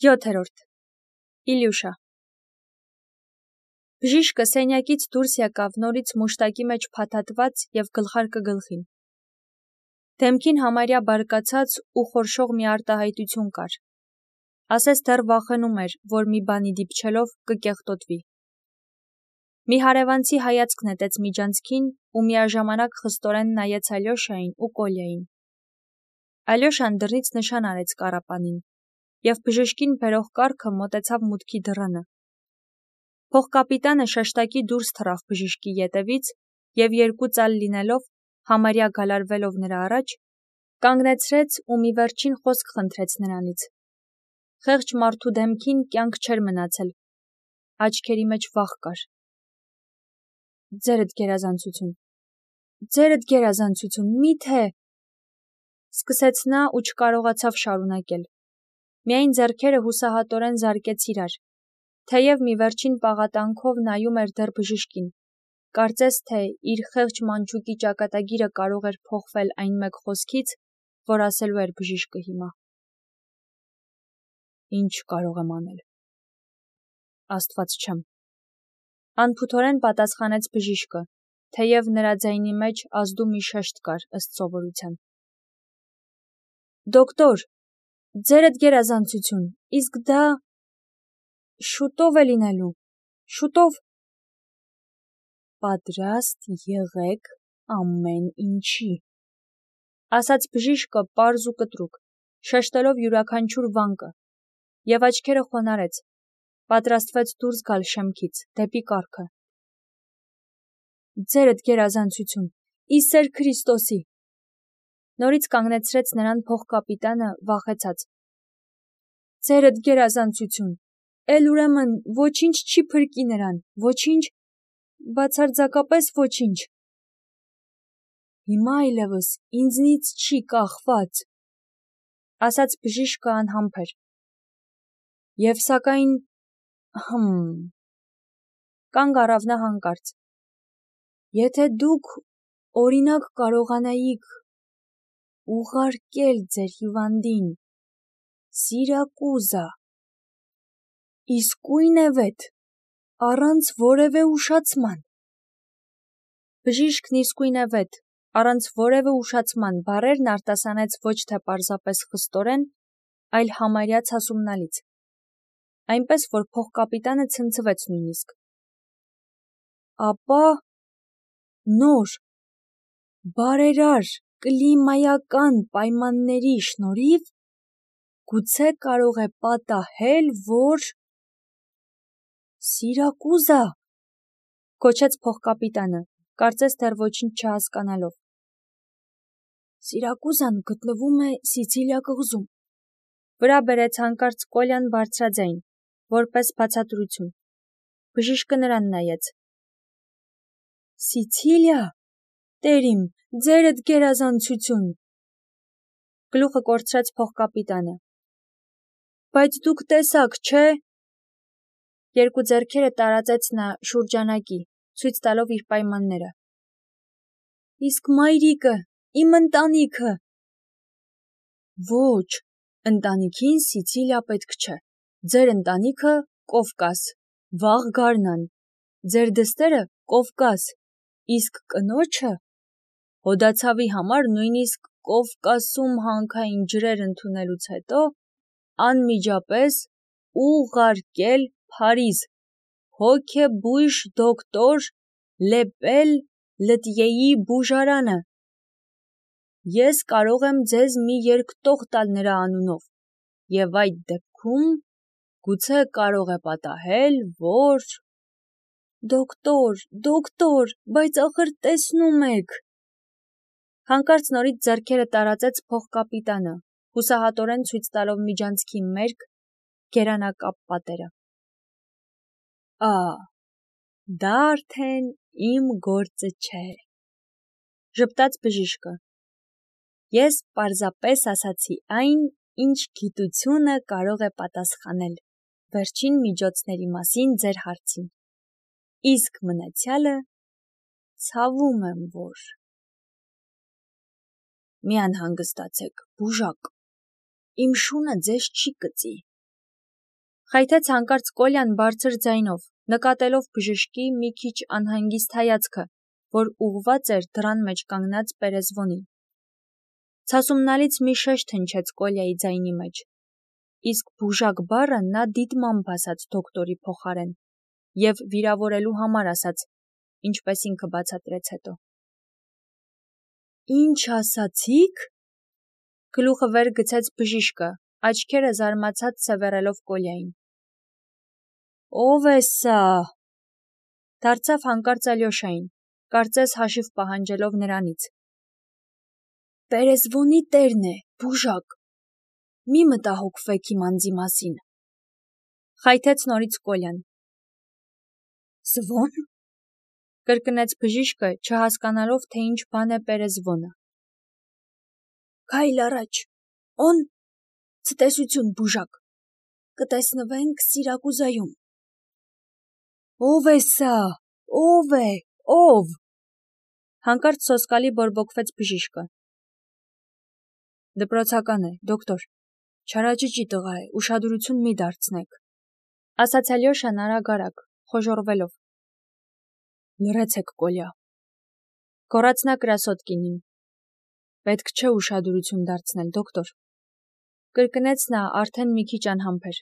7. Իլյուշա Բժիշկը սենյակից դուրս եկավ նորից մուշտակի մեջ փաթաթված և գլխարկը գլխին։ Դեմքին համարյա բարկացած ու խորշող մի արտահայտություն կար։ Ասես դեռ վախենում էր, որ մի բանի դիպչելով կկեղտոտվի։ Մի հարևանցի հայացք նետեց միջանցքին ու միաժամանակ խստորեն նայեց Ալյոշային ու Կոլյային։ Ալյոշան դռնից նշան արեց կառապանին, և բժշկին բերող կառքը մոտեցավ մուտքի դռանը։ Փոխկապիտանը շշտակի դուրս թռավ բժշկի ետևից և երկու ծալ լինելով, համարյա գալարվելով նրա առաջ, կանգնեցրեց ու մի վերջին խոսք խնդրեց նրանից։ Խեղճ մարդու դեմքին կյանք չէր մնացել, աչքերի մեջ վախ կար։ Ձերդ գերազանցություն, միթե… Սկսեց նա ու չկարողացավ շարունակել։ Միայն ձեռքերը հուսահատորեն զարկեց իրար, թեև մի վերջին պաղատանքով նայում էր դեռ բժշկին, կարծես թե իր խեղճ մանչուկի ճակատագիրը կարող էր փոխվել այն մեկ խոսքից, որ ասելու էր բժիշկը հիմա։ Ինչ կարող եմ անել։ Աստված չեմ։ Անփութորեն պատասխանեց բժիշկը, թեև նրա ձայնի մեջ ազդու մի շեշտ կար ըստ սովորության։ Դոկտոր, ձերդ գերազանցություն, իսկ դա… շուտով է լինելու, շուտով… Պատրաստ եղեք ամեն ինչի, ասաց բժիշկը պարզ ու կտրուկ, շեշտելով յուրաքանչյուր վանկը, և աչքերը խոնարհեց, պատրաստվեց դուրս գալ շեմքից, դեպի կառքը։ Ձերդ գերազանցություն, ի սեր Քրիստոսի… Նորից կանգնեցրեց նրան փոխկապիտանը, վախեցած։ Ձերդ գերազանցություն, էլ ուրեմն ոչինչ չի փրկի նրան, ոչինչ, բացարձակապես ոչինչ… Հիմա այլևս ինձնից չի կախված, ասաց բժիշկը անհամբեր։ Եվ սակայն… Կանգ առավ նա հանկարծ։ Եթե դուք, օրինակ, կարողանայիք ուղարկել ձեր հիվանդին Սիրակուզա, իսկույնևեթ, առանց որևէ ուշացման… Բժիշկն իսկույնևեթ, առանց որևէ ուշացման բառերն արտասանեց ոչ թե պարզապես խստորեն, այլ համարյա ցասումնալից, այնպես, որ փոխկապիտանը ցնցվեց նույնիսկ։ Ապա… նոր, բարերար կլիմայական պայմանների շնորհիվ գուցե կարող է պատահել, որ… Սիրակուզա… Գոչեց փոխկապիտանը, կարծես դեռ ոչինչ չհասկանալով։ Սիրակուզան գտնվում է Սիցիլիա կղզում, վրա բերեց հանկարծ Կոլյան բարձրաձայն, որպես բացատրություն։ Բժիշկը նրան նայեց։ Սիցիլիա… Տեր իմ, ձերդ գերազանցություն… Գլուխը կորցրեց փոխկապիտանը։ Բայց դուք տեսաք, չէ… Երկու ձեռքերը տարածեց նա շուրջանակի, ցույց տալով իր պայմանները։ Իսկ մայրիկը, իմ ընտանիքը… Ոչ, ընտանիքին Սիցիլիա պետք չէ, ձեր ընտանիքը Կովկաս, վաղ գարնան, ձեր դստերը Կովկաս, իսկ կնոջը… Հոդացավի համար նույնիսկ Կովկասում հանքային ջրեր ընդունելուց հետո անմիջապես ուղարկել Փարիզ, հոգեբույժ դոկտոր Լեպել Լտյեի բուժարանը… Ես կարող եմ ձեզ մի երկտող տալ նրա անունով, և այդ դեպքում գուցե կարող է պատահել, որ… Դոկտոր, բայց ախր տեսնում եք… Հանկարծ նորից ձեռքերը տարածեց փոխկապիտանը, հուսահատորեն ցույց տալով միջանցքի մերկ, գերանակապ պատերը։ Դա արդեն իմ գործը չէ, ժպտաց բժիշկը։ Ես պարզապես ասացի այն, ինչ գիտությունը կարող է պատասխանել վերջին միջոցների մասին ձեր հարցին, իսկ մնացյալը ցավում եմ, որ… Մի անհանգստացեք, բուժակ, իմ շունը ձեզ չի կծի, Խայթեց հանկարծ Կոլյան բարձր ձայնով, նկատելով բժշկի մի քիչ անհանգիստ հայացքը, որ ուղղված էր դռան մեջ կանգնած Պերեզվոնին։ Ցասումնալից մի շեշտ հնչեց Կոլյայի ձայնի մեջ, իսկ բուժակ բառը նա դիտմամբ ասաց դոկտորի փոխարեն և վիրավորելու համար ասաց, ինչպես ինքը բացատրեց հետո։ Ինչ ասացիք։ Գլուխը վեր գցեց բժիշկը, աչքերը զարմացած սևեռելով Կոլյային։ Ո՞վ է սա։ Դարձավ հանկարծ Ալյոշային, կարծես հաշիվ պահանջելով նրանից։ Պերեզվոնի տերն է, բուժակ։ Մի մտահոգվեք իմ անձի մասին։ Խայթեց նորից Կոլյան։ Զվո՞ն։ Կրկնեց բժիշկը, չհասկանալով, թե ինչ բան է Պերեզվոնը։ Քայլ առաջ, օն, ցտեսություն բուժակ, կտեսնվենք Սիրակուզայում։ Ո՞վ է սա, ո՞վ է, ո՞վ։ Հանկարծ սոսկալի բորբոքվեց բժիշկը։ Դպրոցական է, դոկտոր, չարաճճի տղա է, ուշադրություն մի դարձնեք, ասաց Ալյոշան արագ, խոժոռվելով։ Լռեցեք, Կոլյա, գոռաց նա Կրասոտկինին։ Պետք չէ ուշադրություն դարձնել, դոկտոր, կրկնեց նա արդեն մի քիչ անհամբեր։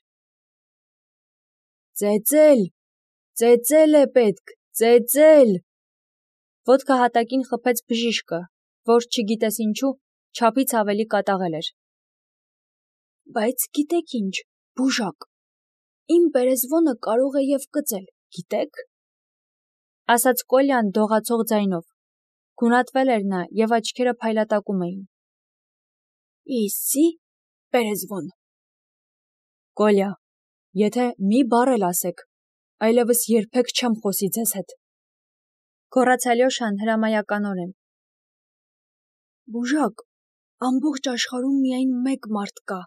Ծեծել է պետք, ծեծել։ Ոտքը հատակին խփեց բժիշկը, որ չգիտես ինչու, չափից ավելի կատաղել էր։ Բայց գիտեք ինչ, բուժակ, իմ Պերեզվոնը կարող է և կծել, գիտեք։ Ասաց Կոլյան դողացող ձայնով, գունատվել էր նա և աչքերը փայլատակում էին։ Իսի, Պերեզվոն։ Կոլյա, եթե մի բառ էլ ասեք, այլևս երբեք չեմ խոսի ձեզ հետ։ Գոռաց Ալյոշան հրամայականորեն։ Բուժակ, ամբողջ աշխարհում միայն մեկ մարդ կա,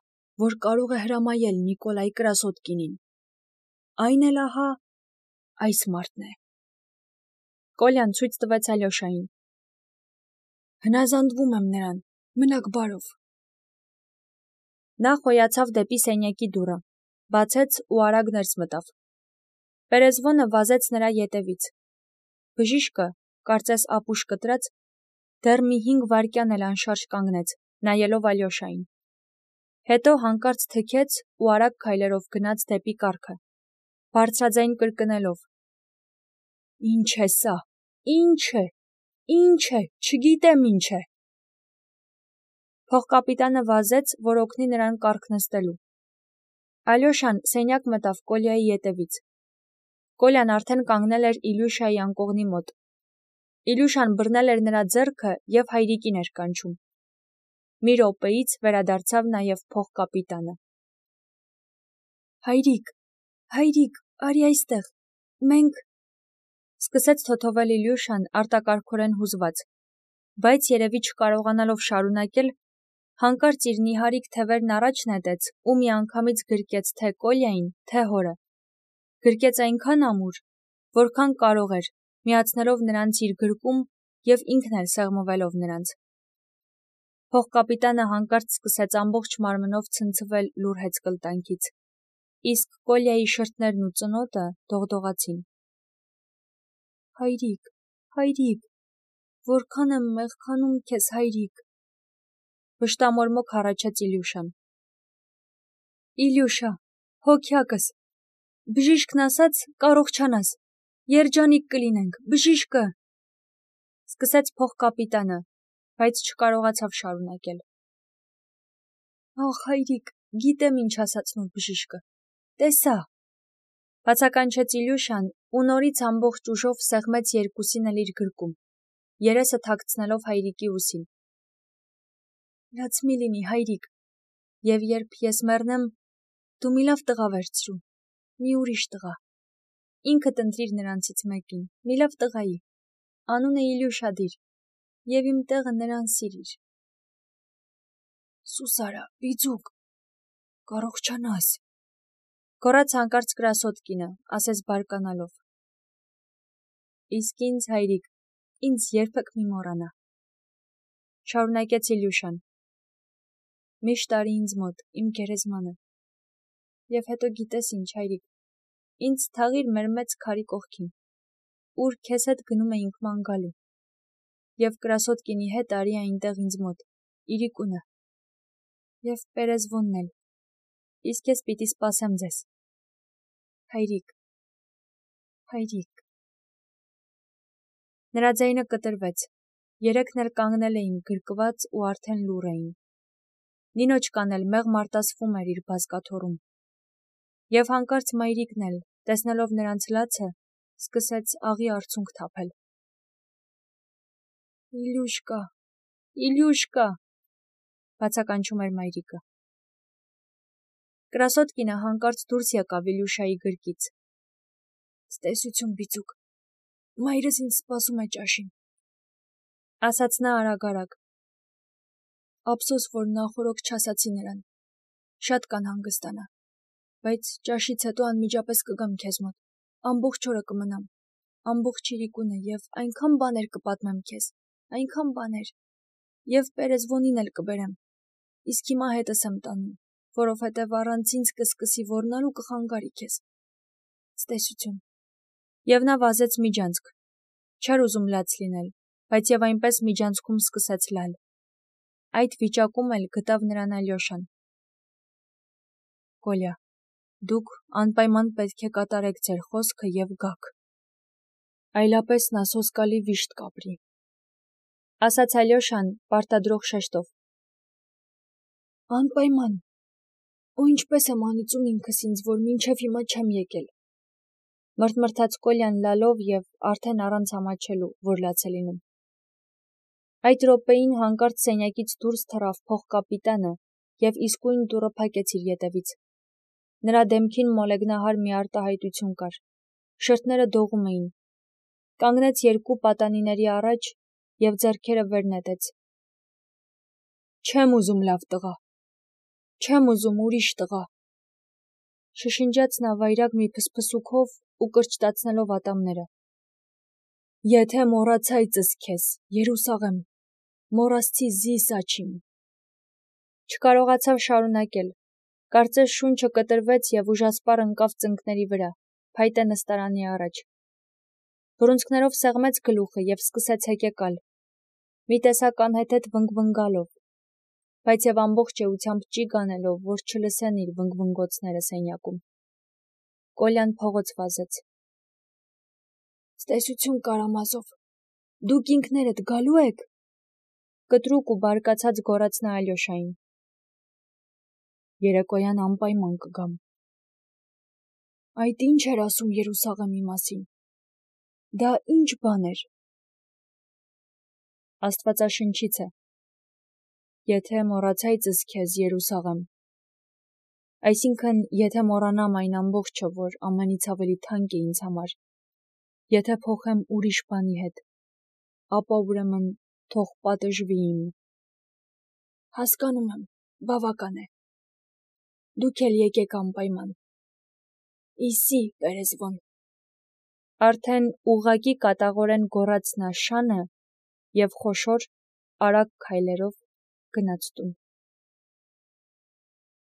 որ կարող է հրամայել Նիկոլայ Կրասոտկինին։ Այն էլ ահա այս մարդն է։ Կոլյան ցույց տվեց Ալյոշային։ Հնազանդվում եմ նրան, մնաք բարով։ Նա խոյացավ դեպի սենյակի դուռը, բացեց ու արագ ներս մտավ։ Պերեզվոնը վազեց նրա ետևից։ Բժիշկը, կարծես ապուշ կտրած, դեռ մի 5 վայրկյան էլ անշարժ կանգնեց, նայելով Ալյոշային։ Հետո հանկարծ թքեց ու արագ քայլերով գնաց դեպի կառքը, բարձրաձայն կրկնելով. Ինչ է սա, ինչ է, չգիտեմ ինչ է։ Փոխկապիտանը վազեց, որ օգնի նրան կառք նստելու։ Ալյոշան սենյակ մտավ Կոլյայի ետևից։ Կոլյան արդեն կանգնել էր Իլյուշայի անկողնի մոտ։ Իլյուշան բռնել էր նրա ձեռքը և հայրիկին էր կանչում։ Մի րոպեից վերադարձավ նաև փոխկապիտանը։ Հայրիկ, արի այստեղ, մենք… Սկսեց թոթովել Իլյուշան արտակարգորեն հուզված, բայց երևի չկարողանալով շարունակել, հանկարծ իր նիհարիկ թևերն առաջ նետեց ու միանգամից գրկեց թե Կոլյային, թե հորը։ Գրկեց այնքան ամուր, որքան կարող էր, միացնելով նրանց իր գրկում և ինքն էլ սեղմվելով նրանց։ Փոխկապիտանը հանկարծ սկսեց ամբողջ մարմնով ցնցվել լուռ հեծկլտանքից, իսկ Կոլյայի շրթներն ու ծնոտը դողդողացին։ Հայրիկ, որքան եմ մեղքանում քեզ, հայրիկ, վշտամորմոք հառաչեց Իլյուշան։ Իլյուշա, հոգյակս, բժիշկն ասաց, կարողանաս, երջանիկ կլինենք, բժիշկը… Սկսեց փոխկապիտանը, բայց չկարողացավ շարունակել։ Ախ, հայրիկ, գիտեմ ինչ ասաց նոր բժիշկը, տեսա… Բացականչեց Իլյուշան ու նորից ամբողջ ուժով սեղմեց երկուսին էլ իր գրկում, երեսը թաքցնելով հայրիկի ուսին։ Լաց մի լինի, հայրիկ, և երբ ես մեռնեմ, դու մի լավ տղա վերցրու, մի ուրիշ տղա, ինքդ ընտրիր նրանցից մեկին, մի լավ տղայի, անունը Իլյուշա դիր, և իմ տեղը նրան սիրիր։ Սուս արա, բիձուկ, կարողանաս, գոռաց հանկարծ Կրասոտկինը, ասես բարկանալով։ Իսկ ինձ, հայրիկ, ինձ երբեք մի մոռանա, շարունակեց Իլյուշան։ Միշտ արի ինձ մոտ, իմ գերեզմանը, Եվ հետո գիտես ինչ, հայրիկ, ինձ թաղիր մեր մեծ քարի կողքին, ուր քեզ հետ գնում էինք ման գալու, և Կրասոտկինի հետ արի այնտեղ ինձ մոտ, իրիկունը, և Պերեզվոնն էլ, իսկ ես պիտի սպասեմ ձեզ, հայրիկ, հայրիկ։ Նրա ձայնը կտրվեց, երեքն էլ կանգնել էին գրկված ու արդեն լուռ էին, Նինոչկան էլ մեղմ արտասվում էր իր բազկաթոռում, և հանկարծ մայրիկն էլ, տեսնելով նրանց լացը, սկսեց աղի արցունք թափել. Իլյուշկա, Իլյուշկա, բացականչում էր մայրիկը։ Կրասոտկինը հանկարծ դուրս եկավ Իլյուշայի գրկից. Ստեսություն, բիծուկ, մայրս ինձ սպասում է ճաշին, ասաց նա արագ-արագ, ափսոս, որ նախօրոք չասացի նրան, շատ կանհանգստանա, բայց ճաշից հետո անմիջապես կգամ քեզ մոտ, ամբողջ օրը կմնամ, ամբողջ իրիկունը և այնքան բաներ կպատմեմ քեզ, այնքան բաներ, և Պերեզվոնին էլ կբերեմ, իսկ հիմա հետս եմ տանում, որովհետև առանց ինձ կսկսի ոռնալ ու կխանգարի քեզ, ստեսություն։ Եվ նա վազեց միջանցք, չէր ուզում լաց լինել, բայց և այնպես միջանցքում սկսեց լալ, այդ վիճակում էլ գտավ նրան Ալյոշան։ Կոլյա, դուք անպայման պետք է կատարեք ձեր խոսքը և գաք, այլապես նա սոսկալի վիշտ կապրի, ասաց Ալյոշան պարտադրող շեշտով։ Անպայման, ու ինչպես եմ անիծում ինքս ինձ, որ մինչև հիմա չեմ եկել, մրթմրթաց Կոլյան լալով և արդեն առանց ամաչելու, որ լաց է լինում։ Այդ րոպեին հանկարծ սենյակից դուրս թռավ փոխկապիտանը և իսկույն դուռը փակեց իր ետևից։ Նրա դեմքին մոլեգնահար մի արտահայտություն կար, շրթները դողում էին, կանգնեց երկու պատանիների առաջ և ձեռքերը վեր նետեց։ Չեմ ուզում լավ տղա, չեմ ուզում ուրիշ տղա, շշնջաց նա վայրագ մի փսփսուքով ու կրճտացնելով ատամները։ Եթե մոռացայցս քեզ, Երուսաղեմ, մոռացցի զիսաչիմ։ Չկարողացավ շարունակել, կարծես շունչը կտրվեց և ուժասպառ ընկավ ծնկների վրա, փայտե նստարանի առաջ։ Բռունցքներով սեղմեց գլուխը և սկսեց հեկեկալ, մի տեսակ անհեթեթ վնգվնգալով, բայց և ամբողջ էությամբ ճիգ անելով, որ չլսեն իր վնգվնգոցները սենյակում։ Կոլյան փողոց վազեց։ Ստեսություն, Կարամազով, դուք ինքներդ գալու եք։ Կտրուկ ու բարկացած գոռաց նա Ալյոշային։ Երեկոյան անպայման կգամ։ Այդ ինչ էր ասում Երուսաղեմի մասին։ Դա ինչ բան էր։ Աստվածաշնչից է։ Եթե մոռացայցս քեզ, Երուսաղեմ։ Այսինքն, եթե մոռանամ այն ամբողջը, որ ամենից ավելի թանկ է ինձ համար, եթե փոխեմ ուրիշ բանի հետ, ապա ուրեմն թող պատժվի իմ։ Հասկանում եմ, բավական է։ Դուք էլ եկեք անպայման։ Իսի, Պերեզվոն։ Արդեն ուղղակի կատաղորեն գոռաց նա շանը և խոշոր, արագ քայլերով գնաց տուն։